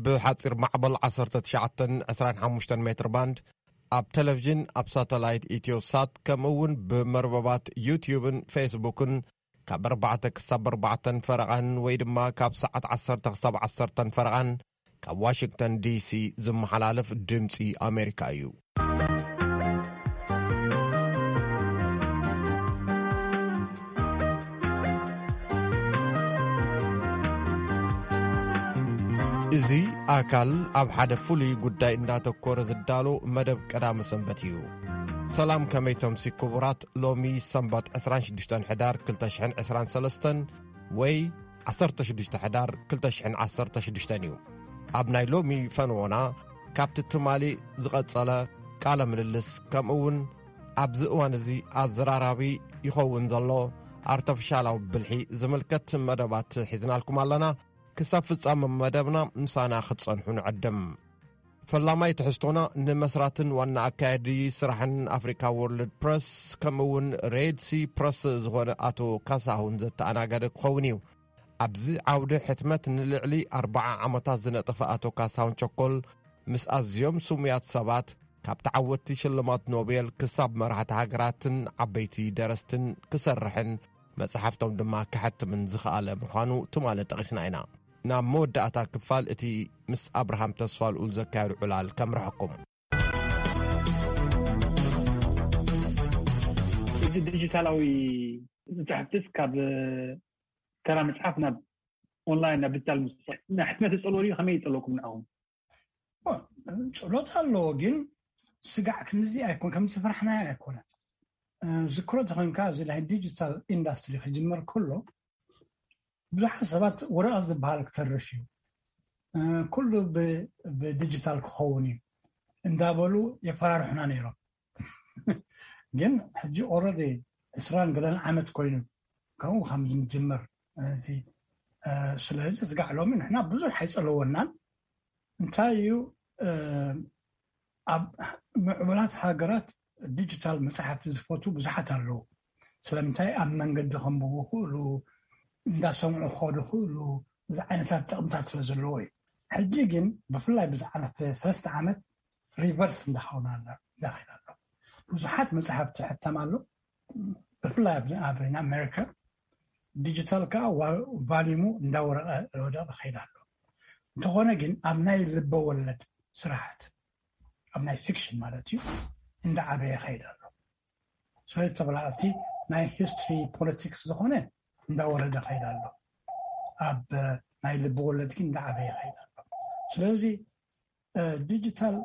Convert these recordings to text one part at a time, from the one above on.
ብሓጺር ማዕበል ዓሰርተ ትሽዓተ ዕስራን ሓሙሽተን ሜትር ባንድ፣ ኣብ ቴሌቪዥን፣ ኣብ ሳተላይት ኢትዮሳት፣ ከምኡ እውን ብመርበባት ዩትዩብን ፌስቡክን ካብ ኣርባዕተ ክሳብ ኣርባዕተን ፈረቓን ወይ ድማ ካብ ሰዓት ዓሰርተ ክሳብ ዓሰርተን ፈረቓን ካብ ዋሽንግተን ዲሲ ዝመሓላለፍ ድምፂ ኣሜሪካ እዩ። እዚ ኣካል ኣብ ሓደ ፍሉይ ጉዳይ እንዳተኮረ ዝዳሎ መደብ ቀዳመ ሰንበት እዩ። ሰላም፣ ከመይ ተምሲ ክቡራት? ሎሚ ሰንበት ዕስራን ሽዱሽተን ሕዳር ክልተ ሽሕን ዕስራን ሰለስተን ወይ ዓሰርተ ሽዱሽተ ሕዳር ክልተ ሽሕን ዓሰርተ ሽዱሽተን እዩ። ኣብ ናይ ሎሚ ፈንዎና ካብቲ ትማሊ ዝቐጸለ ቃለ ምልልስ ከምኡ እውን ኣብዚ እዋን እዚ ኣዘራራቢ ይኸውን ዘሎ ኣርተፊሻላዊ ብልሒ ዝምልከት መደባት ሒዝናልኩም ኣለና። ክሳብ ፍጻመ መደብና ምሳና ክትጸንሑ ንዕድም። ፈላማይ ትሕዝቶና ንመስራትን ዋና ኣካያዲ ስራሕን ኣፍሪካ ወርልድ ፕረስ ከምኡ እውን ሬድ ሲ ፕረስ ዝኾነ ኣቶ ካሳሁን ዘተኣናገደ ክኸውን እዩ። ኣብዚ ዓውዲ ሕትመት ንልዕሊ ኣርባዓ ዓመታት ዝነጠፈ ኣቶ ካሳሁን ቸኮል ምስ ኣዝዮም ስሙያት ሰባት ካብ ተዓወትቲ ሽልማት ኖቤል ክሳብ መራሕቲ ሃገራትን ዓበይቲ ደረስትን ክሰርሕን መጽሓፍቶም ድማ ከሐትምን ዝኸኣለ ምዃኑ ትማሊ ጠቒስና ኢና። ናብ መወዳእታ ክፋል እቲ ምስ ኣብርሃም ተስፋልኡል ዘካየዱ ዕላል ከምርሐኩም። እዚ ዲጂታላዊ መጻሕፍትስ ካብ ተራ መጽሓፍ ናብ ኦንላይን ናብ ዲጂታል ምስ ናይ ሕትመት ይጸልዎ ድዩ? ከመይ ይጸልወኩም ንዓኹም? ጽሎት ኣለዎ፣ ግን ስጋዕ ክንዚ ኣይኮን ከም ዝፈራሕናዮ ኣይኮነን። ዝክሮ ተኮንካ እዚ ናይ ዲጂታል ኢንዳስትሪ ክጅመር ከሎ ብዙሓት ሰባት ወረቐት ዝበሃል ክተርፍ እዩ፣ ኩሉ ብዲጂታል ክኸውን እዩ እንዳበሉ የፈራርሑና ነይሮም። ግን ሕጂ ኦረዲ ዕስራን ገለን ዓመት ኮይኑ ከምኡ ከም ዝምጅመር። ስለዚ ስጋዕ ሎሚ ንሕና ብዙሕ ኣይጸለወናን። እንታይ እዩ ኣብ ምዕቡላት ሃገራት ዲጂታል መጽሓፍቲ ዝፈቱ ብዙሓት ኣለዉ። ስለምንታይ ኣብ መንገዲ ከንብቡ ክእሉ እንዳሰምዑ ክኸዱ ክእሉ እዚ ዓይነታት ጥቕምታት ስለ ዘለዎ እዩ። ሕጂ ግን ብፍላይ ብዝሓለፈ ሰለስተ ዓመት ሪቨርስ እንዳኸውና እንዳኸይድ ኣሎ። ብዙሓት መጽሓፍቲ ሕተም ኣሎ። ብፍላይ ኣብ ኣሜሪካ ዲጂታል ከዓ ቫሊሙ እንዳወረቀ ወደቀ ከይድ ኣሎ። እንተኾነ ግን ኣብ ናይ ልበ ወለድ ስራሕት ኣብ ናይ ፊክሽን ማለት እዩ እንዳዓበየ ከይድ ኣሎ። ስለዚ ተበላዕቲ ናይ ሂስትሪ ፖለቲክስ ዝኾነ እንዳወረደ ከይድ ኣሎ። ኣብ ናይ ልቢ ወለድ ግን እንዳዓበየ ከይድ ኣሎ። ስለዚ ዲጂታል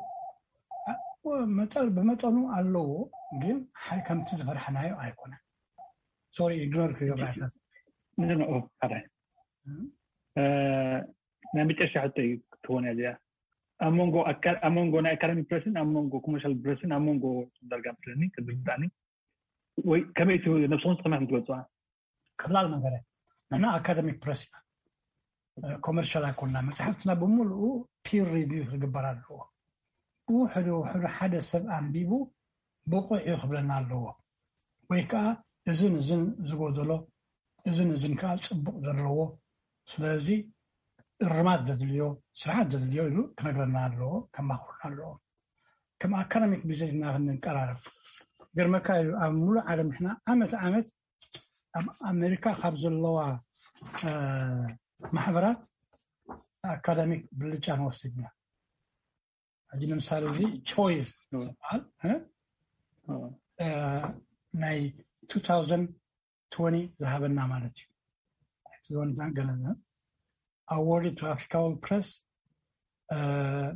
ብመጠኑ ኣለዎ፣ ግን ከምቲ ዝፈርሐናዮ ኣይኮነን። ሶሪ ኢግኖር ክገብራታት ናይ መጨረሻ ሕቶ እዩ ክትኾን እዚኣ ኣብ መንጎ ኣብ መንጎ ናይ ኣካዳሚ ፕረስን ኣብ መንጎ ኮመርሻል ፕረስን ኣብ መንጎ ዳርጋ መስለኒ ክትርዳእኒ ወይ ከመይ ነብስኹም ከመይ ክትገልፅዋ? ቀላል ነገር ንሕና ኣካደሚክ ፕረስ ኢና። ኮመርሻል ኣይኮንና። መፅሓፍትና ብምሉኡ ፒር ሪቪው ክግበር ኣለዎ። ብውሕዱ ውሕዱ ሓደ ሰብ ኣንቢቡ ብቑዕ እዩ ክብለና ኣለዎ። ወይ ከዓ እዝን እዝን ዝጎደሎ እዝን እዝን ከዓ ፅቡቕ ዘለዎ፣ ስለዚ እርማት ዘድልዮ ስርሓት ዘድልዮ ኢሉ ክነግረና ኣለዎ፣ ከማኽሩና ኣለዎ። ከም ኣካዳሚክ ቢዝነስ ኢና ክንቀራረብ። ገርመካ እዩ ኣብ ሙሉእ ዓለም ንሕና ዓመት ዓመት ኣብ ኣሜሪካ ካብ ዘለዋ ማሕበራት ኣካዳሚክ ብልጫ ንወስድ ኢና። ሕጂ ንምሳሌ እዚ ቾይስ ዝበሃል ናይ two thousand twenty ዝሃበና ማለት እዩ። ገለ awarded to Africa Press, uh,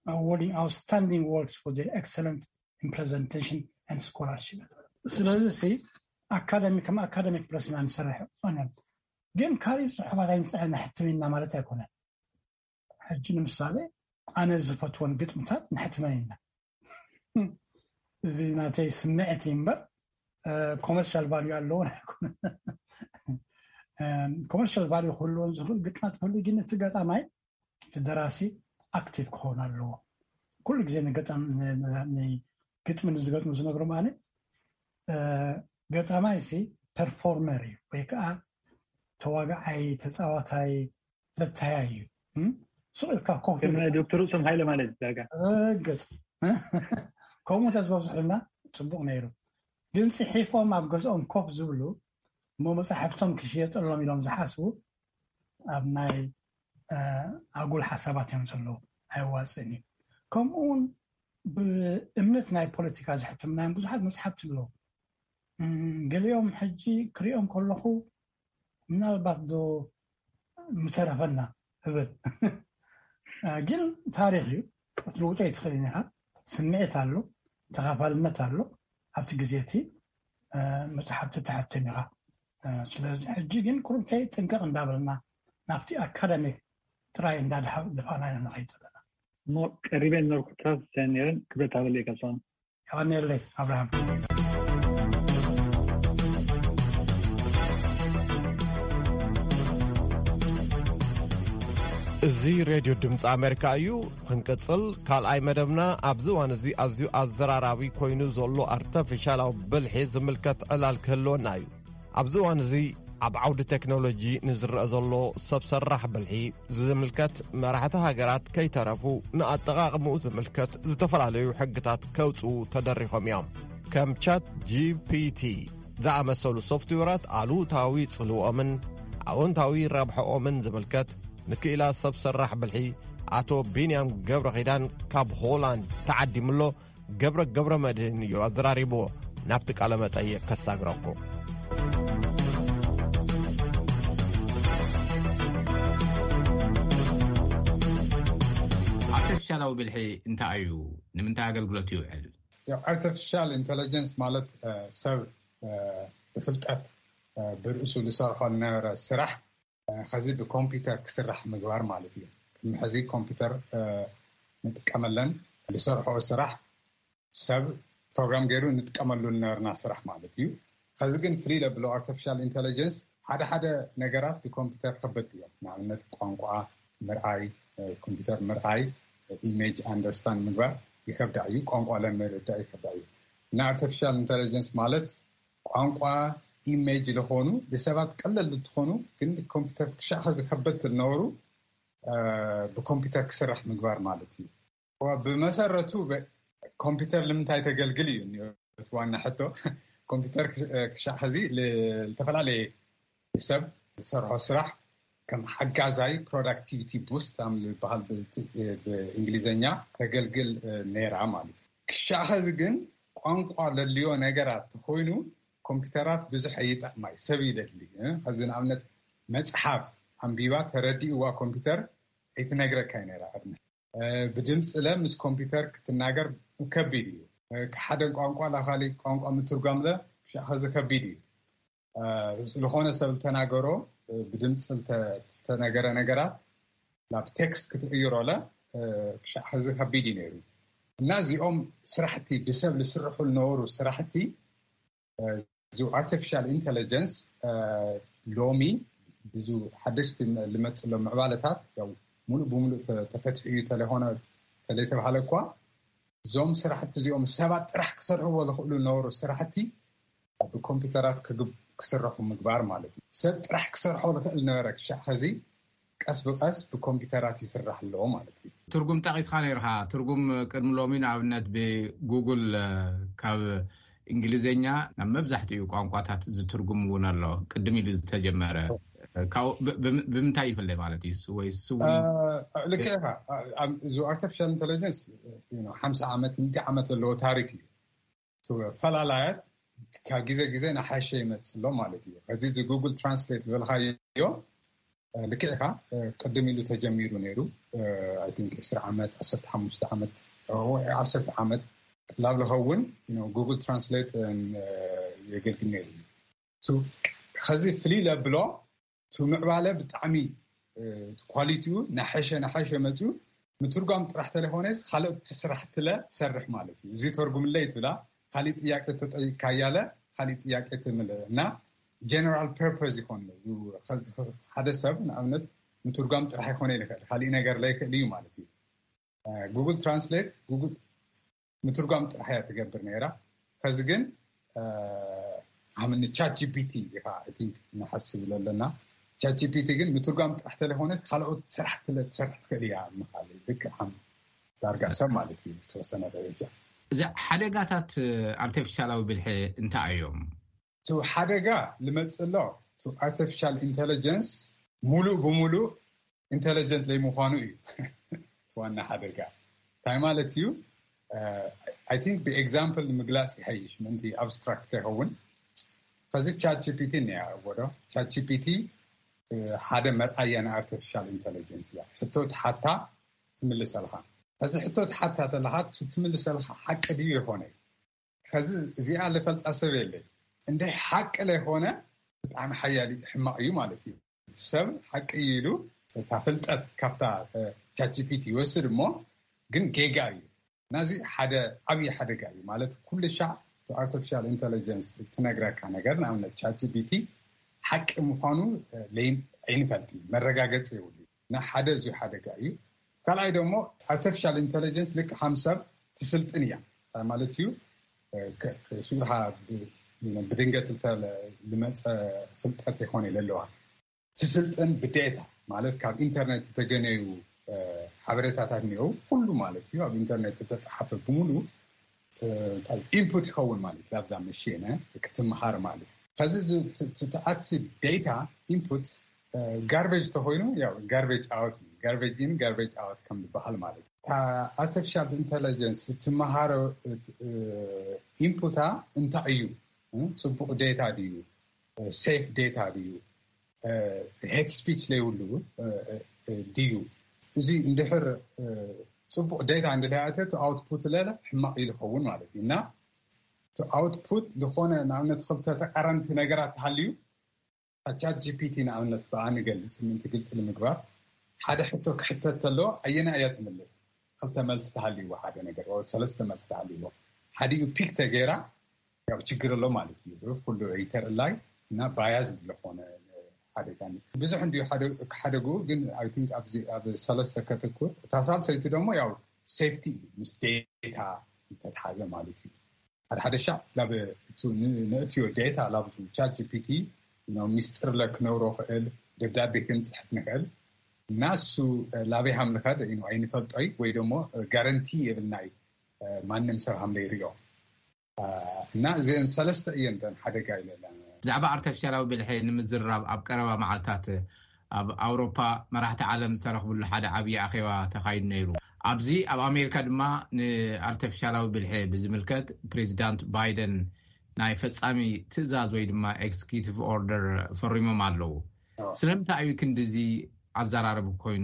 awarding outstanding works for their excellent in presentation and scholarship. ስለዚ ሲ ኣካዳሚ ከም ኣካዳሚክ ፕረስ ኢና ንሰርሕ። ግን ካልእ ፅሑፋት ኣይንፅሕን ነሕትም ኢና ማለት ኣይኮነን። ሕጂ ንምሳሌ ኣነ ዝፈትወን ግጥምታት ነሕትመን ኢና። እዚ ናተይ ስምዕት እዩ እምበር ኮመርሻል ቫልዩ ኣለዎ ኣይኮነን። ኮመርሻል ቫልዩ ክህልዎን ዝኽእል ግጥማት ክህሉ፣ ግን እቲ ገጣማይ እቲ ደራሲ ኣክቲቭ ክኸውን ኣለዎ። ኩሉ ግዜ ግጥሚ ንዝገጥሙ ዝነግሮም ኣነ ገጣማይ ሲ ፐርፎርመር እዩ ወይ ከዓ ተዋጋዓይ፣ ተፃዋታይ፣ ዘተያይ እዩ። ስቕ ኢልካ ኮፍ ከም ኢልካ ናይ ዶክተር ርእሶም ሃይለ ማለት ዳጋ። ርግጽ። ከምኡ ተዝበዝሑልና ጽቡቕ ነይሩ። ግን ጽሒፎም ኣብ ገዝኦም ኮፍ ዝብሉ እሞ መጻሕፍቶም ክሽየጠሎም ኢሎም ዝሓስቡ ኣብ ናይ ኣጉል ሓሳባት እዮም ዘለዉ። ኣይዋፅእን እዩ። ከምኡ እውን ብእምነት ናይ ፖለቲካ ዝሕትምናዮም ብዙሓት መፅሓፍቲ ኣለዉ። ገሊኦም ሕጂ ክሪኦም ከለኹ ምናልባት ዶ ምተረፈና እብል። ግን ታሪኽ እዩ። ክትልውጦ ኣይትኽእልን ኢኻ። ስምዒት ኣሎ፣ ተኻፋልነት ኣሎ። ኣብቲ ግዜ እቲ መፅሓፍቲ ተሕትም ኢኻ። ስለዚ ሕጂ ግን ቁሩብተይ ጥንቅቕ እንዳበልና ናብቲ ኣካዳሚክ ጥራይ እንዳደፋና ኢና ንኸይድ ዘለና። እሞ ቀሪበ ነርኩ ትራስ ነረን ክብረት ኣበለይ ከብሶን። የቐንየለይ ኣብርሃም። እዚ ሬድዮ ድምፂ ኣሜሪካ እዩ። ክንቅፅል ካልኣይ መደብና ኣብዚ እዋን እዚ ኣዝዩ ኣዘራራቢ ኮይኑ ዘሎ ኣርተፊሻላዊ ብልሒ ዝምልከት ዕላል ክህልወና እዩ። ኣብዚ እዋን እዚ ኣብ ዓውዲ ቴክኖሎጂ ንዝረአ ዘሎ ሰብ ሰራሕ ብልሒ ዝምልከት መራሕቲ ሃገራት ከይተረፉ ንኣጠቓቕምኡ ዝምልከት ዝተፈላለዩ ሕግታት ከውፅኡ ተደሪኾም እዮም። ከም ቻት ጂ ፒ ቲ ዝኣመሰሉ ሶፍትዌራት ኣሉታዊ ጽልውኦምን ኣወንታዊ ረብሐኦምን ዝምልከት ንክኢላ ሰብ ሰራሕ ብልሒ ኣቶ ቢንያም ገብረ ኺዳን ካብ ሆላንድ ተዓዲሙሎ። ገብረ ገብረ መድህን እዩ ኣዘራሪብዎ። ናብቲ ቃለ መጠይቕ ከሳግረኩም። ኣርቲፊሻላዊ ብልሒ እንታይ እዩ? ንምንታይ ኣገልግሎት ይውዕል? ያው ኣርቲፊሻል ኢንተለጀንስ ማለት ሰብ ብፍልጠት ብርእሱ ዝሰርሖ ዝነበረ ስራሕ ከዚ ብኮምፒውተር ክስራሕ ምግባር ማለት እዩ። ቅድሚ ሕዚ ኮምፒውተር ንጥቀመለን ዝሰርሖ ስራሕ ሰብ ፕሮግራም ገይሩ ንጥቀመሉ ዝነበርና ስራሕ ማለት እዩ። ከዚ ግን ፍልይ ለብሎ ኣርቲፊሻል ኢንተለጀንስ ሓደ ሓደ ነገራት ብኮምፒውተር ከበድ እዮም። ንኣብነት ቋንቋ ምርኣይ፣ ኮምፒውተር ምርኣይ ኢሜጅ ኣንደርስታንድ ምግባር ይከብዳ እዩ። ቋንቋ ለምርዳእ ይከብዳ እዩ። እና ኣርቲፊሻል ኢንተለጀንስ ማለት ቋንቋ ኢሜጅ ዝኾኑ ንሰባት ቀለል እንትኾኑ ግን ኮምፒውተር ክሻኸ ዝከበድ ዝነበሩ ብኮምፒውተር ክስራሕ ምግባር ማለት እዩ። ብመሰረቱ ኮምፒውተር ንምንታይ ተገልግል እዩ እቲ ዋና ሕቶ። ኮምፒውተር ክሻዕ ሕዚ ዝተፈላለየ ሰብ ዝሰርሖ ስራሕ ከም ሓጋዛይ ፕሮዳክቲቪቲ ቡስት ኣም ዝበሃል ብእንግሊዝኛ ተገልግል ነይራ ማለት እዩ። ክሻዕ ሕዚ ግን ቋንቋ ለልዮ ነገራት ተኮይኑ ኮምፒውተራት ብዙሕ ኣይጠቅማይ ሰብ ይደሊ። ከዚ ንኣብነት መፅሓፍ ኣንቢባ ተረዲእዋ ኮምፒውተር ኣይትነግረካ ነይራ ቅድሚ ብድምፂ ለ ምስ ኮምፒውተር ክትናገር ከቢድ እዩ። ሓደ ቋንቋ ላካሊ ቋንቋ ምትርጓም ለ ክሻዕ ከዚ ከቢድ እዩ። ዝኾነ ሰብ ተናገሮ ብድምፂ ዝተነገረ ነገራት ናብ ቴክስት ክትቅይሮ ለ ክሻዕ ከዚ ከቢድ እዩ ነይሩ። እና እዚኦም ስራሕቲ ብሰብ ዝስርሑ ዝነበሩ ስራሕቲ እዚ ኣርቲፊሻል ኢንተለጀንስ ሎሚ ብዙ ሓደሽቲ ልመፅእ ኣሎ ምዕባለታት ሙሉእ ብሙሉእ ተፈትሑ እዩ ተለይኮነ ተለይተባሃለ እኳ እዞም ስራሕቲ እዚኦም ሰባት ጥራሕ ክሰርሕዎ ዝኽእሉ ዝነበሩ ስራሕቲ ብኮምፒውተራት ክስረሑ ምግባር ማለት እዩ። ሰብ ጥራሕ ክሰርሖ ዝኽእል ነበረ ክሻዕ ኸዚ ቀስ ብቀስ ብኮምፒውተራት ይስራሕ ኣሎ ማለት እዩ። ትርጉም ጠቂስካ ነይርካ። ትርጉም ቅድሚ ሎሚ ንኣብነት ብጉግል ካብ እንግሊዝኛ ናብ መብዛሕትኡ ቋንቋታት ዝትርጉም እውን ኣሎ። ቅድም ኢሉ ዝተጀመረ ካብኡ ብምንታይ ይፍለ ማለት እዩ? ወይ እሱ እውን ልክዕ ኢኻ። እዚ ኣርቲፊሻል ኢንተለጀንስ ሓምሳ ዓመት ሚእቲ ዓመት ዘለዎ ታሪክ እዩ። ፈላላያት ካብ ግዜ ግዜ ናሓሸ ይመፅእ ኣሎ ማለት እዩ። ሕዚ እዚ ጉግል ትራንስሌት ዝበልካዮ ልክዕ ኢኻ። ቅድም ኢሉ ተጀሚሩ ነይሩ። I think ዕስራ ዓመት፣ ዓሰርተ ሓሙሽተ ዓመት፣ ዓሰርተ ዓመት ላብ ዝኸውን ጉግል ትራንስሌት የገልግል ነይሩ። ከዚ ፍልይ ለብሎ እቲ ምዕባለ ብጣዕሚ ኳሊቲኡ ናሐሸ ናሐሸ መፅኡ። ምትርጓም ጥራሕ ተለይኮነስ ካልኦት ስራሕትለ ትሰርሕ ማለት እዩ። እዚ ተርጉምለይ ትብላ፣ ካሊእ ጥያቄ ተጠይቅካያለ ካሊእ ጥያቄ ትምልእ እና ጀነራል ፐርፐዝ ይኮን። ሓደ ሰብ ንኣብነት ምትርጓም ጥራሕ ይኮነ ይኽእል፣ ካሊእ ነገር ለይክእል እዩ ማለት እዩ። ጉግል ትራንስሌት ጉግል ምትርጓም ጥራሕ እያ ትገብር ነይራ። ከዚ ግን ኣምኒ ቻት ጂፒቲ ኢኻ I think ንሓስብ ኣለና። ቻት ጂ ፒ ቲ ግን ምትርጓም ጥራሕ ተለይኮነት ካልኦት ስራሕ ትሰርሕ ትኽእል እያ ምኻል ልክዕ ከም ዳርጋ ሰብ ማለት እዩ። ተወሰነ ደረጃ እዚ ሓደጋታት ኣርቲፊሻላዊ ብልሒ እንታይ እዮም? ሓደጋ ልመፅእ ኣሎ። ኣርቲፊሻል ኢንቴሊጀንስ ሙሉእ ብሙሉእ ኢንቴሊጀንት ለይምኳኑ እዩ ዋና ሓደጋ። እንታይ ማለት እዩ? ብኤግዛምፕል ንምግላፅ ይሐይሽ ምእንቲ ኣብስትራክት ይኸውን። ከዚ ቻት ጂ ፒ ቲ እኒያ ወዶ ቻት ጂ ፒ ቲ ሓደ መርኣያ ናይ ኣርቲፊሻል ኢንቴሊጀንስ እያ። ሕቶ ትሓታ ትምልሰልካ። ከዚ ሕቶ ትሓታ ተለካ ትምልሰልካ ሓቂ ድዩ ይኮነ? ከዚ እዚኣ ልፈልጣ ሰብ የለይ። እንደ ሓቂ ለይኮነ ብጣዕሚ ሓያል ሕማቕ እዩ ማለት እዩ። ሰብ ሓቂ ኢሉ እታ ፍልጠት ካብታ ቻት ጂ ፒ ቲ ይወስድ እሞ ግን ጌጋ እዩ። ናዚ ሓደ ዓብዪ ሓደጋ እዩ ማለት ኩሉ ሻዕ ኣርቲፊሻል ኢንቴሊጀንስ ትነግረካ ነገር ንኣብነት ቻት ጂ ፒ ቲ ሓቂ ምዃኑ ኣይንፈልጥ፣ መረጋገፂ የብሉ። ሓደ እዚ ሓደጋ እዩ። ካልኣይ ደግሞ ኣርቲፊሻል ኢንቴሊጀንስ ልክ ሓም ሰብ ትስልጥን እያ ማለት እዩ። ሽዑ ብድንገት ልመፀ ፍልጠት ይኮነ ለለዋ ትስልጥን ብዴታ ማለት ካብ ኢንተርኔት ዝተገነዩ ሓበሬታታት እኒአው ኩሉ ማለት እዩ ኣብ ኢንተርኔት ዝተፀሓፈ ብምሉ ኢንፑት ይኸውን ማለት ላብዛ መሽነ ክትምሃር ማለት ከዚ ትኣቲ ዴታ ኢንፑት ጋርቤጅ ተኮይኑ ጋርቤጅ ኣውት ጋርቤጅ ኢን ጋርቤጅ ኣውት ከም ዝበሃል ማለት እዩ። ኣርቲፊሻል ኢንቴሊጀንስ ትመሃሮ ኢንፑታ እንታይ እዩ? ፅቡቅ ዴታ ድዩ? ሴፍ ዴታ ድዩ? ሄት ስፒች ለይብሉ ድዩ? እዚ እንድሕር ፅቡቅ ዴታ እንድለያተ ኣውትፑት ለለ ሕማቅ እዩ ዝኸውን ማለት እዩ። እና ኣውትፑት ዝኾነ ንኣብነት ክልተ ተቃረንቲ ነገራት ተሃልዩ ቻት ጂ ፒ ቲ ንኣብነት ብኣ ንገልፅ ምእንቲ ግልፂ ንምግባር ሓደ ሕቶ ክሕተት ተለዎ ኣየና እያ ትምልስ? ክልተ መልሲ ተሃልይዎ ሓደ ነገር ሰለስተ መልሲ ተሃልይዎ ሓዲኡ ፒክ ተገይራ ያው ችግር ኣሎ ማለት እዩ። ኩሉ ሪተር ላይ እና ባያዝ ዝኾነ ሓደጋ ብዙሕ እንዲዩ ክሓደጉ ግን ኣብ ሰለስተ ከተኩር እታ ሳልሰይቲ ደግሞ ያው ሴፍቲ እዩ ምስ ዴታ ዝተትሓዘ ማለት እዩ። ሓደ ሓደ ሻዕ ናብ ንእትዮ ዴታ ናብ ቻት ጂ ፒ ቲ ሚስጥር ለክነብሮ ክእል ደብዳቤ ክንፅሕፍ ንክእል እና እሱ ላበይ ሃም ንኸድ ኣይንፈልጦይ ወይ ደሞ ጋረንቲ የብልና እዩ ማንም ሰብ ሃም ለይሪኦ እና እዚአን ሰለስተ እየን ተን ሓደጋ ኢለለን። ብዛዕባ ኣርተፊሻላዊ ብልሒ ንምዝራብ ኣብ ቀረባ መዓልታት ኣብ ኣውሮፓ መራሕቲ ዓለም ዝተረኽብሉ ሓደ ዓብዪ ኣኼባ ተኻይዱ ነይሩ። ኣብዚ ኣብ ኣሜሪካ ድማ ንኣርተፊሻላዊ ብልሒ ብዝምልከት ፕሬዚዳንት ባይደን ናይ ፈጻሚ ትእዛዝ ወይ ድማ ኤክስኪዩቲቭ ኦርደር ፈሪሞም ኣለዉ። ስለምንታይ እዩ ክንድዚ ኣዘራርብ ኮይኑ?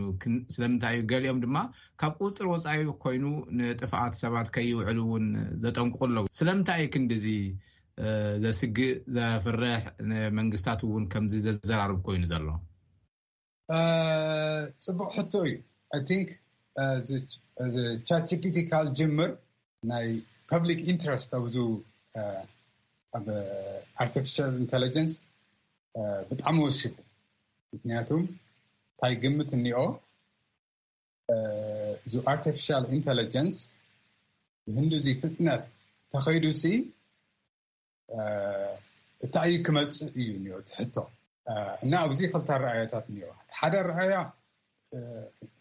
ስለምንታይ እዩ ገሊኦም ድማ ካብ ቁፅር ወፃኢ ኮይኑ ንጥፍኣት ሰባት ከይውዕሉ እውን ዘጠንቅቁ ኣለዉ? ስለምንታይ እዩ ክንድዚ ዘስግእ ዘፍርሕ ንመንግስታት እውን ከምዚ ዘዘራርብ ኮይኑ ዘሎ? ፅቡቅ ሕቶ እዩ። I think ቻት ጂ ፒ ቲ ካብ ዝጅምር ናይ ፐብሊክ ኢንትረስት ኣብዚ ኣብ ኣርቲፊሻል ኢንቴሊጀንስ ብጣዕሚ ወሲኹ። ምክንያቱም እንታይ ግምት እኒኦ እዚ ኣርቲፊሻል ኢንቴሊጀንስ ብህንዱዚ ፍጥነት ተኸይዱሲ እንታይ እዩ ክመፅእ እዩ እኒኦ ትሕቶ እና ኣብዚ ክልተ ረኣያታት እኒኦ። ሓደ ረኣያ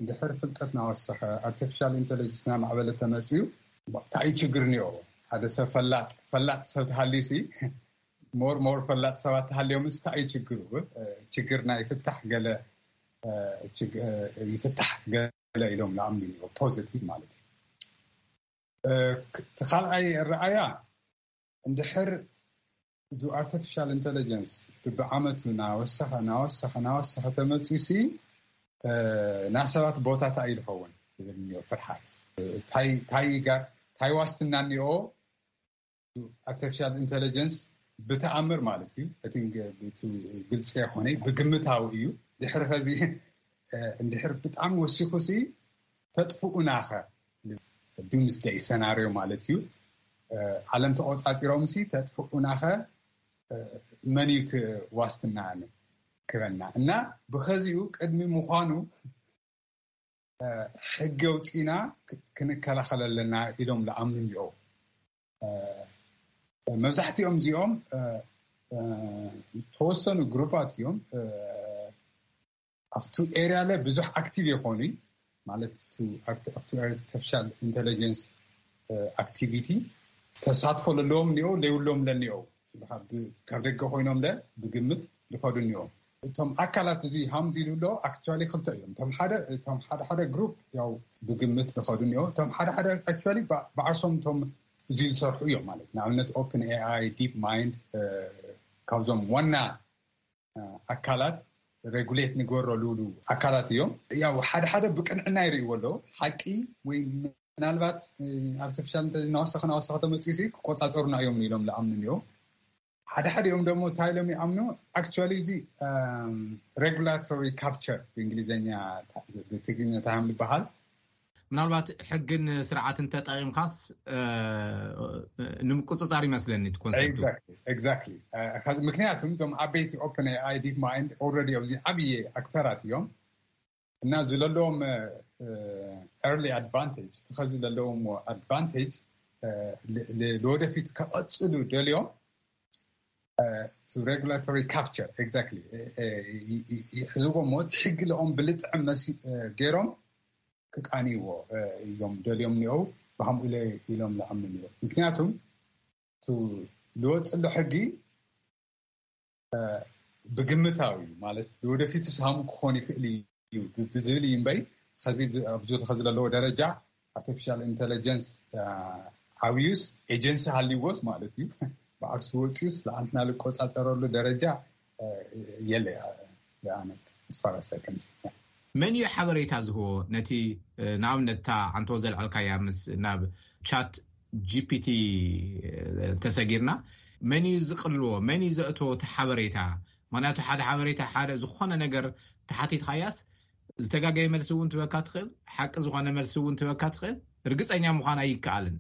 እንድሕር ፍልጠት ናወሰኸ ኣርቲፊሻል ኢንቴሊጀንስ ናማዕበለ ተመፅዩ እንታይ እዩ ችግር እኒኦ? ሓደ ሰብ ፈላጥ ፈላጥ ሰብ ተሃልዩ ሲ ሞር ሞር ፈላጥ ሰባት ተሃልዮም እንታይ እዩ ችግሩ? ችግር ናይ ፍታሕ ገለ ይፍታሕ ገለ ኢሎም ንኣምኑ እኒኦ ፖዚቲቭ ማለት እዩ። እቲ ካልኣይ ረኣያ እንድሕር እዚ ኣርቲፊሻል ኢንቴሊጀንስ ብብዓመቱ ናወሰኸ ናወሰኸ ናወሰኸ ተመፅዩ ሲ ናሰባት ቦታ እንታይ እዩ ዝኸውን ዝብል እኒኦ ፍርሓት። እንታይ ዋስትና እኒኦ ኣርቲፊሻል ኢንቴሊጀንስ ብተኣምር ማለት እዩ። ግልፂ ይኮነ ብግምታዊ እዩ። ድሕሪ ከዚ እንድሕር ብጣዕሚ ወሲኹ ሲ ተጥፍኡናኸ ዱምስደይ ሰናርዮ ማለት እዩ። ዓለም ተቆፃፂሮም ሲ ተጥፍኡናኸ መን እዩ ዋስትና ክበና እና ብኸዚኡ ቅድሚ ምዃኑ ሕጊ ኣውፂእና ክንከላኸል ኣለና ኢሎም ዝኣምኑ እኒኦ። መብዛሕትኦም እዚኦም ተወሰኑ ግሩፓት እዮም። ኣብቱ ኤርያ ለ ብዙሕ ኣክቲቭ የኾኑ ማለት ኣብቱ ኣርቲፊሻል ኢንቴሊጀንስ ኣክቲቪቲ ተሳትፎ ለለዎም እኒኦ ለይብሎም ለኒኦ ካብ ደገ ኮይኖም ለ ብግምት ዝኸዱ እኒኦ። እቶም ኣካላት እዚ ሃምዚ ዝብሎ ኣክቹዋሊ ክልተ እዮም። እቶም ሓደ እቶም ሓደ ሓደ ግሩፕ ያው ብግምት ዝኸዱ እኒኦ። እቶም ሓደ ሓደ ኣክቹዋሊ ብዓርሶም እቶም እዚ ዝሰርሑ እዮም ማለት ንኣብነት ኦፕን ኤኣይ ዲፕ ማይንድ ካብዞም ዋና ኣካላት ሬጉሌት ንገበረሉ ኣካላት እዮም። ያው ሓደ ሓደ ብቅንዕና ይርእይዎ ኣለዉ። ሓቂ ወይ ምናልባት ኣርቲፊሻል ኢንተሊጀንስ ናወሰኸ ናወሰኸ ተመፅኡ ሲ ክቆፃፀሩና እዮም ኢሎም ዝኣምኑ እዮም። ሓደ ሓደ እዮም ደግሞ እንታይ ኢሎም ይኣምኑ ኣክቹዋሊ እዚ ሬጉላቶሪ ካፕቸር ብእንግሊዝኛ ብትግርኛ እንታይ እዮም ዝበሃል ምናልባት ሕግን ስርዓትን ተጠቂምካስ ንምቁፅፃር ይመስለኒ እቲ ኮንሰፕት። ኤግዛክትሊ። ምክንያቱም እዞም ዓበይቲ ኦፕን ኤኣይ ዲፕ ማይንድ ኦልሬዲ ኣብዚ ዓብዪ ኣክተራት እዮም እና እዚ ዘለዎም ኤርሊ ኣድቫንቴጅ እቲ ኸዚ ዘለዎም ኣድቫንቴጅ ንወደፊት ከቐፅሉ ደልዮም ሬጉላቶሪ ካፕቸር ኤግዛክትሊ ይሕዝዎ እሞ እቲ ሕጊ ለኦም ብልጥዕም ገይሮም ክቃንይዎ እዮም ደልዮም እኒኦ ብሃምኡ ኢለ ኢሎም ዝኣምኑ እዮም። ምክንያቱም ዝወፅሎ ሕጊ ብግምታዊ እዩ ማለት ንወደፊቱ ስሃሙ ክኾን ይኽእል እዩ ብዝብል እዩ እምበይ ኣብዚ ከዚ ዘለዎ ደረጃ ኣርቲፊሻል ኢንቴሊጀንስ ዓብዩስ ኤጀንሲ ሃልይዎስ ማለት እዩ ብዓርሱ ወፂኡስ ለኣንትና ልቆፃፀረሉ ደረጃ የለ ኣነ ስፋራሳይ ከምዚ መን እዩ ሓበሬታ ዝህቦ ነቲ ንኣብነት እታ ዓንቶ ዘልዓልካያ ምስ ናብ ቻት ጂፒቲ ተሰጊርና መን እዩ ዝቅልዎ መን እዩ ዘእትዎ እቲ ሓበሬታ ምክንያቱ ሓደ ሓበሬታ ሓደ ዝኾነ ነገር ተሓቲትካያስ ዝተጋገየ መልሲ እውን ትበካ ትኽእል ሓቂ ዝኾነ መልሲ እውን ትበካ ትኽእል ርግፀኛ ምዃን ኣይከኣልን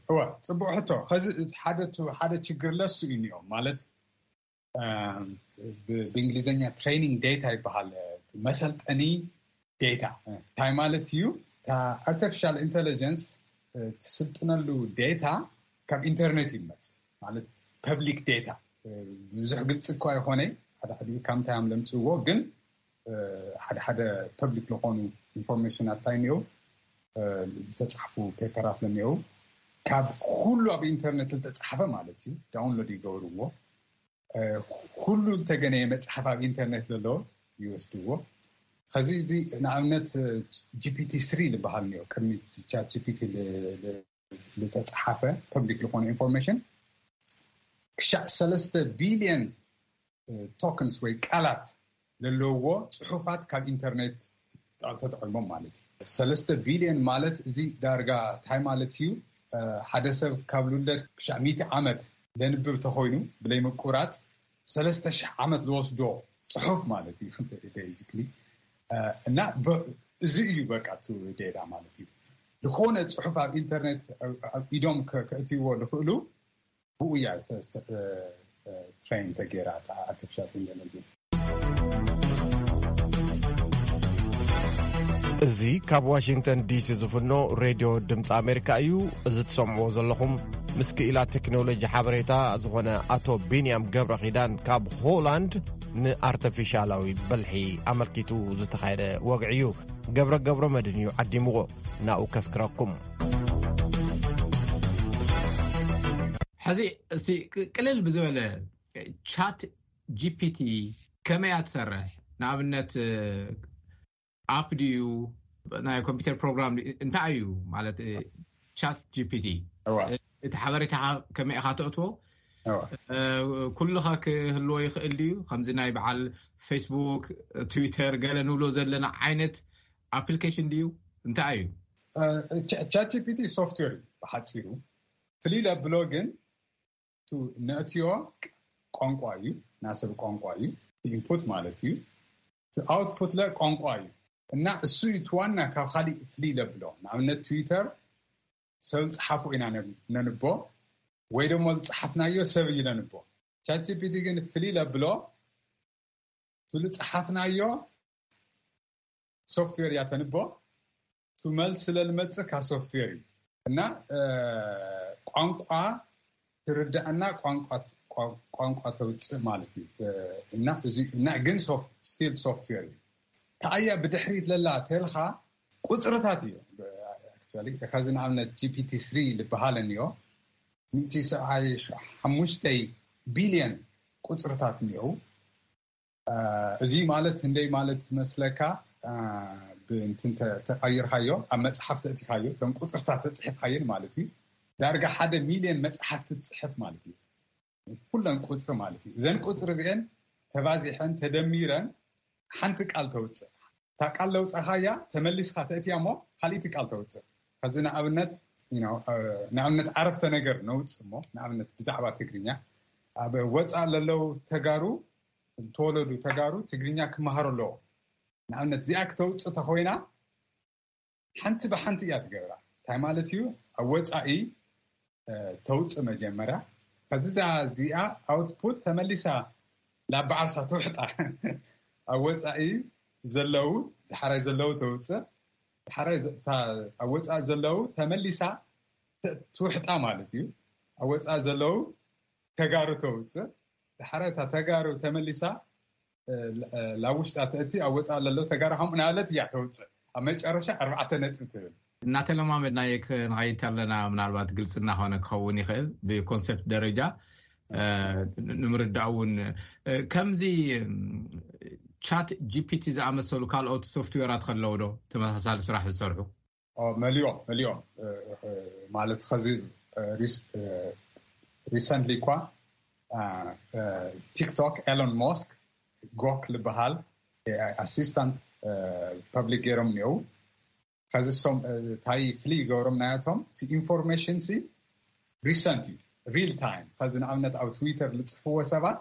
እወ ፅቡቅ ሕቶ ከዚ ሓደ ሓደ ችግር ለሱ እዩ እኒኦም ማለት ብእንግሊዝኛ ትሬኒንግ ዴታ ይበሃል መሰልጠኒ ዴታ እንታይ ማለት እዩ ኣርቲፊሻል ኢንቴሊጀንስ ትስልጥነሉ ዴታ ካብ ኢንተርኔት ይመፅ ማለት ፐብሊክ ዴታ ብዙሕ ግልፂ እኳ ይኮነ ሓደ ሓደ ካብ ምንታይ እዮም ለምፅዎ ግን ሓደ ሓደ ፐብሊክ ዝኾኑ ኢንፎርሜሽን ኣታይ እኒኦ ዝተፃሕፉ ፔፐራት ለኒኦ ካብ ኩሉ ኣብ ኢንተርኔት ዝተፃሓፈ ማለት እዩ ዳውንሎድ ይገብርዎ ኩሉ ዝተገነየ መፅሓፍ ኣብ ኢንተርኔት ዘሎ ይወስድዎ ከዚ እዚ ንኣብነት ጂፒቲ ስሪ ዝበሃል እኒኦ ቅድሚ ቻት ጂፒቲ ዝተፃሓፈ ፐብሊክ ዝኾነ ኢንፎርሜሽን ክሻዕ ሰለስተ ቢልዮን ቶክንስ ወይ ቃላት ዘለውዎ ፅሑፋት ካብ ኢንተርኔት ተጠቂሞም ማለት እዩ ሰለስተ ቢልዮን ማለት እዚ ዳርጋ እንታይ ማለት እዩ ሓደ ሰብ ካብ ልውለድ ክሻዕ ሚእቲ ዓመት ለንብብ ተኮይኑ ብለይ ምቁራፅ ሰለስተ ሽሕ ዓመት ዝወስዶ ፅሑፍ ማለት እዩ ቤዚክሊ እና እዚ እዩ በቃ ዴታ ማለት እዩ ዝኾነ ፅሑፍ ኣብ ኢንተርኔት ኢዶም ከእትይዎ ዝኽእሉ ብኡ እያ ትሬን ተገይራ ኣርቲፊሻል ኢንቴሊጀንስ እዚ ካብ ዋሽንግተን ዲሲ ዝፍኖ ሬድዮ ድምፂ ኣሜሪካ እዩ። እዚ ትሰምዕዎ ዘለኹም ምስ ክኢላ ቴክኖሎጂ ሓበሬታ ዝኾነ ኣቶ ቢንያም ገብረ ኺዳን ካብ ሆላንድ ንኣርተፊሻላዊ በልሒ ኣመልኪቱ ዝተኻየደ ወግዒ እዩ። ገብረ ገብረ መድን እዩ ዓዲምዎ። ናብኡ ከስክረኩም። ሕዚ እስቲ ቅልል ብዝበለ ቻት ጂፒቲ ከመይ እያ ትሰርሕ? ንኣብነት ኣፕ ድዩ ናይ ኮምፒውተር ፕሮግራም እንታይ እዩ ማለት ቻት ጂፒቲ እቲ ሓበሬታ ከመይ ኢኻ ተእትዎ ኩሉኻ ክህልዎ ይኽእል ድዩ ከምዚ ናይ በዓል ፌስቡክ ትዊተር ገለ ንብሎ ዘለና ዓይነት ኣፕሊኬሽን ድዩ እንታይ እዩ ቻት ጂፒቲ ሶፍትዌር እዩ ብሓፂሩ ፍልይ ለብሎ ግን ነእትዮ ቋንቋ እዩ ናሰብ ቋንቋ እዩ ኢንፑት ማለት እዩ ኣውትፑት ለ ቋንቋ እዩ እና እሱ እዩ ትዋና ካብ ካሊእ ፍልይ ለብሎ ንኣብነት ትዊተር ሰብ ዝፀሓፎ ኢና ነንቦ ወይ ደሞ ዝፀሓፍናዮ ሰብ እዩ ነንቦ ቻት ጂፒቲ ግን ፍልይ ለብሎ እቲ ዝፀሓፍናዮ ሶፍትዌር እያ ተንቦ እቲ መልሲ ለልመፅእ ካብ ሶፍትዌር እዩ እና ቋንቋ ትርዳእና ቋንቋ ቋንቋ ተውፅእ ማለት እዩ። እና ግን ስቲል ሶፍትዌር እዩ። ተኣያ ብድሕሪት ለላ ተልካ ቁፅርታት እዩ። ከዚ ንኣብነት ጂፒቲ ስሪ ዝበሃል እኒኦ፣ ሚእቲ ሰብዓይ ሓሙሽተ ቢልዮን ቁፅርታት እኒኦ። እዚ ማለት እንደይ ማለት መስለካ? ብእንትን ተቐይርካዮ፣ ኣብ መፅሓፍ ተእቲካዮ፣ እቶም ቁፅርታት ተፅሒፍካየን ማለት እዩ። ዳርጋ ሓደ ሚልዮን መፅሓፍቲ ትፅሕፍ ማለት እዩ። ኩለን ቁፅሪ ማለት እዩ። እዘን ቁፅሪ እዚአን ተባዚሐን ተደሚረን ሓንቲ ቃል ተውፅእ። እታ ቃል ለውፃኻያ ተመሊስካ ተእትያ እሞ ካልእቲ ቃል ተውፅእ። ከዚ ንኣብነት ንኣብነት ዓረፍተ ነገር ነውፅእ እሞ ንኣብነት ብዛዕባ ትግርኛ ኣብ ወፃእ ለለው ተጋሩ፣ ዝተወለዱ ተጋሩ ትግርኛ ክመሃሩ ኣለዎ። ንኣብነት እዚኣ ክተውፅእ ተኮይና ሓንቲ ብሓንቲ እያ ትገብራ። እንታይ ማለት እዩ? ኣብ ወፃኢ ተውፅእ መጀመርያ። ከዚ እዚኣ ኣውትፑት ተመሊሳ ላብ ዓርሳ ትውሕጣ። ኣብ ወፃኢ ዘለው፣ ዳሕራይ ዘለው ተውፅእ፣ ዳሕራይ ኣብ ወፃኢ ዘለው ተመሊሳ ትውሕጣ ማለት እዩ። ኣብ ወፃኢ ዘለው ተጋሩ ተውፅእ፣ ዳሕራይ እታ ተጋሩ ተመሊሳ ላብ ውሽጣ ተእቲ፣ ኣብ ወፃኢ ለለው ተጋሩ ከምኡ ናለት እያ ተውፅእ። ኣብ መጨረሻ ኣርባዕተ ነጥቢ ትብል። እናተለማመድናዮ ክንኸይድ ኣለና። ምናልባት ግልፂ እናኾነ ክኸውን ይኽእል ብኮንሰፕት ደረጃ ንምርዳእ እውን። ከምዚ ቻት ጂፒቲ ዝኣመሰሉ ካልኦት ሶፍትዌራት ከለዉ ዶ ተመሳሳሊ ስራሕ ዝሰርሑ? መሊኦም መሊኦም ማለት ከዚ ሪሰንትሊ እኳ ቲክቶክ ኤሎን ሞስክ ጎክ ዝበሃል ኣሲስታንት ፐብሊክ ገይሮም እኒው። ከዚ ሶም እንታይ ፍሊ ይገብሮም ናያቶም እቲ ኢንፎርሜሽን ሲ ሪሰንት እዩ፣ ሪል ታይም። ከዚ ንኣብነት ኣብ ትዊተር ዝፅሕፍዎ ሰባት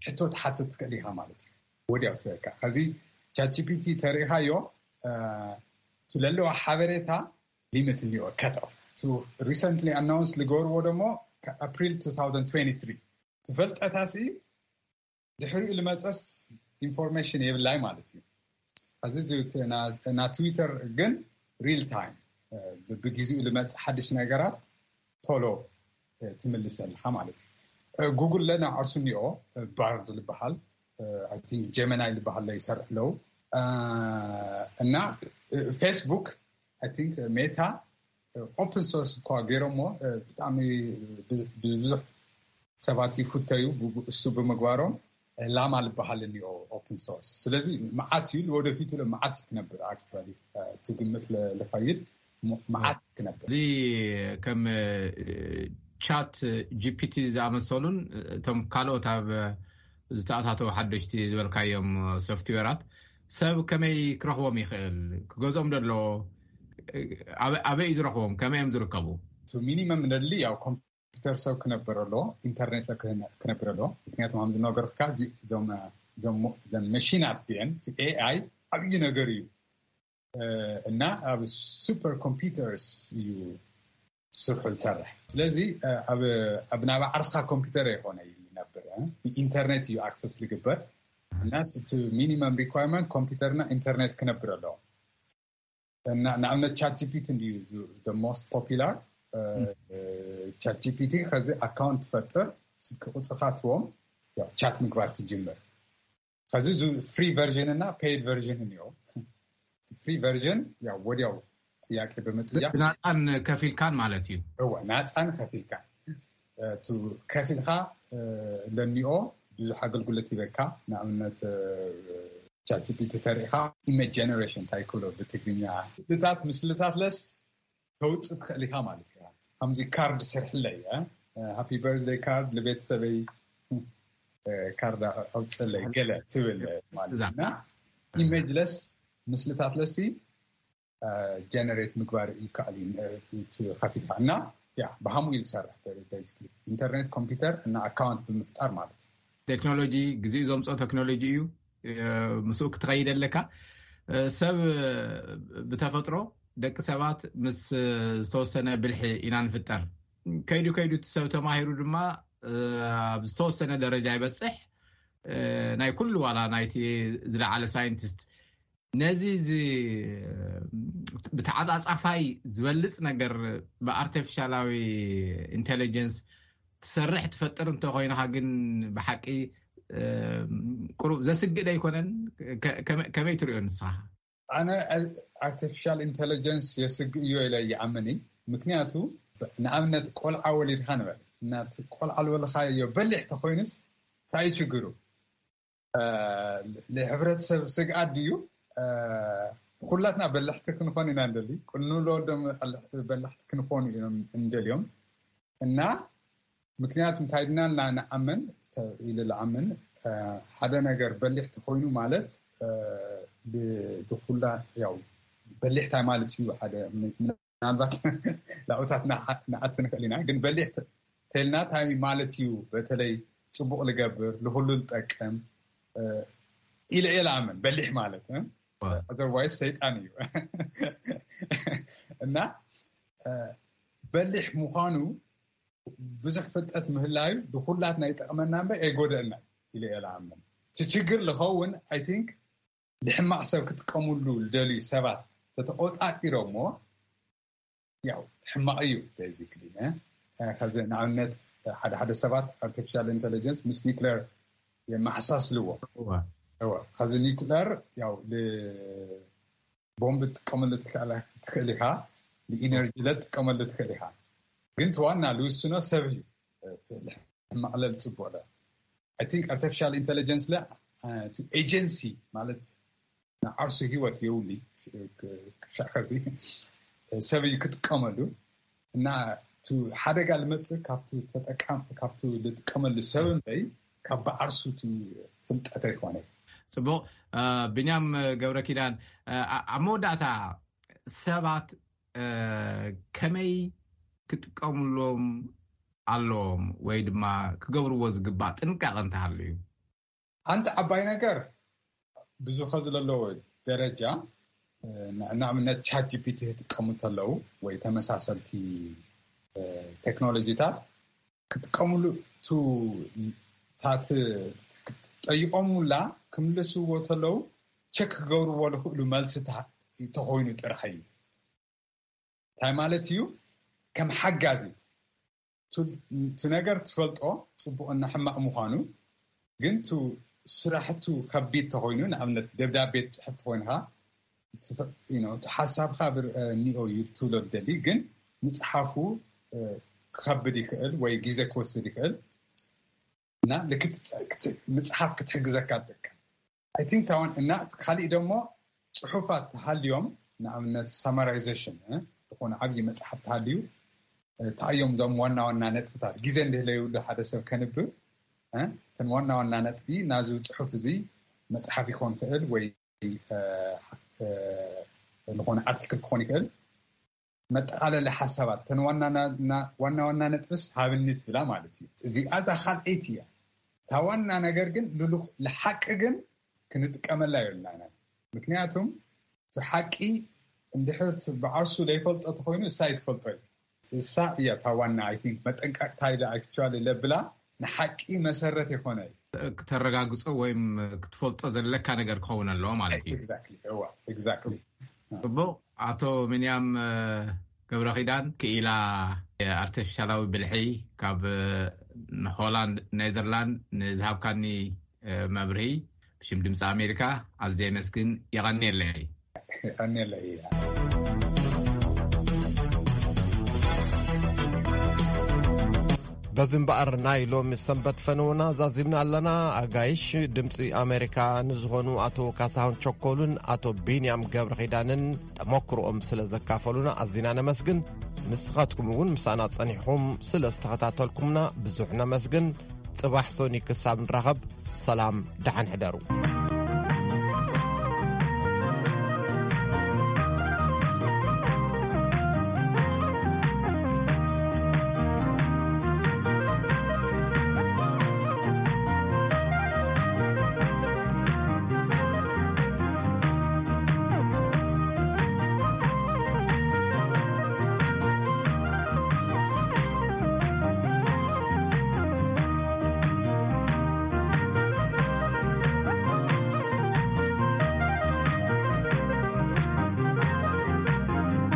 ሕቶ ትሓትት ትክእል ኢኻ ማለት እዩ፣ ወዲያው ትበካ። ከዚ ቻትጂፒቲ ተሪኢኻዮ ትለለዋ ሓበሬታ ሊሚት እኒኦ ከት ኦፍ። ሪሰንትሊ ኣናውንስ ዝገበርዎ ደሞ ኣፕሪል two thousand twenty three ትፈልጠታ ሲ ድሕሪኡ ልመፀስ ኢንፎርሜሽን የብላይ ማለት እዩ። እዚ ና ትዊተር ግን ሪል ታይም ብግዜኡ ልመፅእ ሓድሽ ነገራት ቶሎ ትምልሰልካ ማለት እዩ። ጉግል ለና ዓርሱ እኒኦ ባርድ ዝበሃል ጀመናይ ዝበሃል ይሰርሕ ኣለዉ እና ፌስቡክ ሜታ ኦፕን ሶርስ እኳ ገይሮሞ ብጣዕሚ ብዙሕ ሰባት ይፍተዩ እሱ ብምግባሮም ላማ ዝበሃል እኒኦ ኦፕን ሶርስ። ስለዚ መዓት እዩ፣ ንወደፊቱ ለ መዓት እዩ ክነብር። ኣክቹዋሊ ትግምት ልኸይድ መዓት ክነብር። እዚ ከም ቻት ጂፒቲ ዝኣመሰሉን እቶም ካልኦት ኣብ ዝተኣታተው ሓደሽቲ ዝበልካዮም ሶፍትዌራት ሰብ ከመይ ክረኽቦም ይኽእል? ክገዝኦም ደሎ ኣበይ እዩ ዝረኽቦም? ከመይ እዮም ዝርከቡ? ሚኒመም ነድሊ ያው ኮምፒውተር ሰብ ክነብር ኣለዎ፣ ኢንተርኔት ክነብር ኣለዎ። ምክንያቱ ከም ዝነገርካ መሽናት ን ኤኣይ ዓብዪ ነገር እዩ እና ኣብ ሱፐር ኮምፒውተርስ እዩ ስርሑ ዝሰርሕ። ስለዚ ኣብ ናብ ዓርስካ ኮምፒውተር ይኮነ ይነብር፣ ኢንተርኔት እዩ ኣክሰስ ዝግበር እና እቲ ሚኒመም ሪኳርመንት ኮምፒውተርና ኢንተርኔት ክነብር ኣለዎ። ንኣብነት ቻት ጂፒቲ እንዲዩ ሞስት ፖፒላር። ቻት ጂፒቲ ከዚ ኣካውንት ትፈጥር፣ ስልኪ ቁፅርካ ትዎም ቻት ምግባር ትጅምር። ከዚ ፍሪ ቨርዥን እና ፔይድ ቨርዥን እኒኦ። ፍሪ ቨርዥን ያው ወዲያው ጥያቄ ብምጥያቅ ናፃን ከፊልካን ማለት እዩ። እወ ናፃን ከፊልካን ከፊልካ ለኒኦ ብዙሕ ኣገልግሎት ይበካ። ንኣብነት ቻትጂፒቲ ተሪኢካ ኢሜጅ ጀነሬሽን እንታይ ክብሎ ብትግርኛ ምስልታት ምስልታት ለስ ተውፅእ ትኽእል ኢኻ ማለት እዩ። ከምዚ ካርድ ስርሕለይ ሃፒ በርዝደይ ካርድ ንቤተሰበይ ካርድ ኣውፅለይ ገለ ትብል ማለት እና ኢሜጅለስ ምስልታት ለሲ ጀነሬት ምግባር ይከኣል እዩ ከፊልካ እና ያ ብሃምኡ እዩ ዝሰርሕ። ኢንተርኔት ኮምፒውተር እና ኣካውንት ብምፍጣር ማለት እዩ። ቴክኖሎጂ ግዜኡ ዘምፅኦ ቴክኖሎጂ እዩ። ምስኡ ክትኸይድ ኣለካ። ሰብ ብተፈጥሮ ደቂ ሰባት ምስ ዝተወሰነ ብልሒ ኢና ንፍጠር። ከይዱ ከይዱ እቲ ሰብ ተማሂሩ ድማ ኣብ ዝተወሰነ ደረጃ ይበፅሕ። ናይ ኩሉ ዋላ ናይቲ ዝለዓለ ሳይንቲስት ነዚ ብተዓፃፃፋይ ዝበልፅ ነገር ብኣርቲፊሻላዊ ኢንቴሊጀንስ ትሰርሕ ትፈጥር እንተኮይንካ ግን ብሓቂ ቁሩብ ዘስግእ ኣይኮነን? ከመይ ትሪኦ ንስኻ? ኣነ ኣርቲፊሻል ኢንተለጀንስ የስግእ እዮ ኢለ ይኣምን። ምክንያቱ ንኣብነት ቆልዓ ወሊድካ ንበል፣ እናቲ ቆልዓ ዝበልካዮ በሊሕ ተኮይኑስ እንታይ ችግሩ? ንሕብረተሰብ ስግኣት ድዩ? ኩላትና በላሕቲ ክንኾን ኢና እንደሊ፣ ንወለዶም በላሕቲ ክንኾኑ እዮም እንደልዮም። እና ምክንያቱ እንታይ ድና ንዓምን ኢለ ዝዓምን ሓደ ነገር በሊሕ ተኮይኑ ማለት ብኩላ ያው በሊሕ እንታይ ማለት እዩ ሓደ ምናልባት ላኡታት ንኣት ንክእል ኢና፣ ግን በሊሕ ተልና እንታይ ማለት እዩ? በተለይ ፅቡቅ ልገብር ልኩሉ ልጠቅም ኢለ እየ ዝኣምን። በሊሕ ማለት otherwise ሰይጣን እዩ እና በሊሕ ምዃኑ ብዙሕ ፍልጠት ምህላዩ ንኩላትና ይጠቅመና እምበር ኣይጎደእና ኢለ እየ ዝኣምን። እቲ ችግር ዝኸውን I think ንሕማቅ ሰብ ክጥቀምሉ ዝደልዩ ሰባት ተተቆፃፂሮሞ ያው ሕማቅ እዩ። ቤዚክሊ ከዚ ንኣብነት ሓደ ሓደ ሰባት ኣርቲፊሻል ኢንተለጀንስ ምስ ኒክለር የመሓሳስልዎ። ከዚ ኒክለር ያው ቦምብ ትጥቀመሉ ትክእል ኢካ፣ ንኢነርጂ ለትጥቀመሉ ትክእል ኢካ። ግን እቲ ዋና ልውስኖ ሰብ እዩ። ሕማቅ ለል ፅቡቅ ለ I think ኣርቲፊሻል ኢንተለጀንስ ለ እቲ ኤጀንሲ ማለት ንዓርሱ ህይወት የውሊ ክሻዕ ከዚ ሰብ እዩ ክጥቀመሉ እና እቲ ሓደጋ ልመፅእ ካብቲ ተጠቃም ካብቲ ልጥቀመሉ ሰብ እምበይ ካብ ብዓርሱ እቲ ፍልጠት ኣይኮነ። ፅቡቅ። ቢንያም ገብረ ኪዳን፣ ኣብ መወዳእታ ሰባት ከመይ ክጥቀምሎም ኣለዎም ወይ ድማ ክገብርዎ ዝግባእ ጥንቃቐ እንተሃልዩ? ሓንቲ ዓባይ ነገር ብዙ ከዚ ዘለዎ ደረጃ ንኣብነት ቻት ጂፒቲ ክጥቀሙ እንተለዉ ወይ ተመሳሰልቲ ቴክኖሎጂታት ክጥቀምሉ ቱ ታት ጠይቆሙላ ክምልስዎ ተለዉ ቸክ ክገብርዎ ዝኽእሉ መልስታት ተኾይኑ ጥራሕ እዩ። እንታይ ማለት እዩ? ከም ሓጋዚ እቲ ነገር ትፈልጦ ፅቡቅና ሕማቅ ምኳኑ ግን ቱ ስራሕቱ ከቢድ ተኮይኑ ንኣብነት ደብዳቤ ትፅሕፍ ተኮይንካ እቲ ሓሳብካ ብርኒኦ እዩ ትብሎ ደሊ ግን ምፅሓፉ ክከብድ ይክእል ወይ ግዜ ክወስድ ይክእል እና ምፅሓፍ ክትሕግዘካ ትጠቀም I think tawan እና ካሊእ ደሞ ፅሑፋት ተሃልዮም ንኣብነት ሳማራይዜሽን ዝኾነ ዓብዪ መፅሓፍ ተሃልዩ እንታይ እዮም እዞም ዋና ዋና ነጥብታት ግዜ እንድህለዩ ሓደ ሰብ ከንብብ እተን ዋና ዋና ነጥቢ ናዚ ፅሑፍ እዚ መፅሓፍ ይኮን ክእል ወይ ዝኾነ ኣርቲክል ክኾን ይክእል መጠቃለሊ ሓሳባት ተን ዋና ዋና ነጥብስ ሃብኒ ትብላ ማለት እዩ። እዚኣ እዛ ካልኣይቲ እያ እታ ዋና ነገር ግን ልሉክ ልሓቂ ግን ክንጥቀመላ የብልና ኢና። ምክንያቱም እቲ ሓቂ እንድሕር ብዓርሱ ዘይፈልጦ ተኮይኑ እሳ ይትፈልጦ እዩ። እሳ እያ እታ ዋና I think መጠንቀቅታ ኢለ actually ለብላ ንሓቂ መሰረት የኮነ እዩ። ክተረጋግጾ ወይም ክትፈልጦ ዘለካ ነገር ክኸውን ኣለዎ ማለት እዩ። Exactly እዋ exactly። ጽቡቅ። ኣቶ ምንያም ገብረ ኪዳን ክኢላ ኣርቲፊሻላዊ ብልሒ ካብ ሆላንድ ኔዘርላንድ ንዝሃብካኒ መብርሂ ብሽም ድምፂ ኣሜሪካ ኣዝየ የመስግን። የቐንየለይ። የቐንየለይ። በዚ እምበኣር ናይ ሎሚ ሰንበት ፈነውና ዛዚምና ኣለና። ኣጋይሽ ድምፂ ኣሜሪካ ንዝኾኑ ኣቶ ካሳሁን ቸኮሉን ኣቶ ቢንያም ገብረ ኺዳንን ተመክሮኦም ስለ ዘካፈሉና ኣዚና ነመስግን። ንስኻትኩም እውን ምሳና ጸኒሕኹም ስለ ዝተኸታተልኩምና ብዙሕ ነመስግን። ጽባሕ ሶኒ ክሳብ ንራኸብ ሰላም ደሓን ሕደሩ።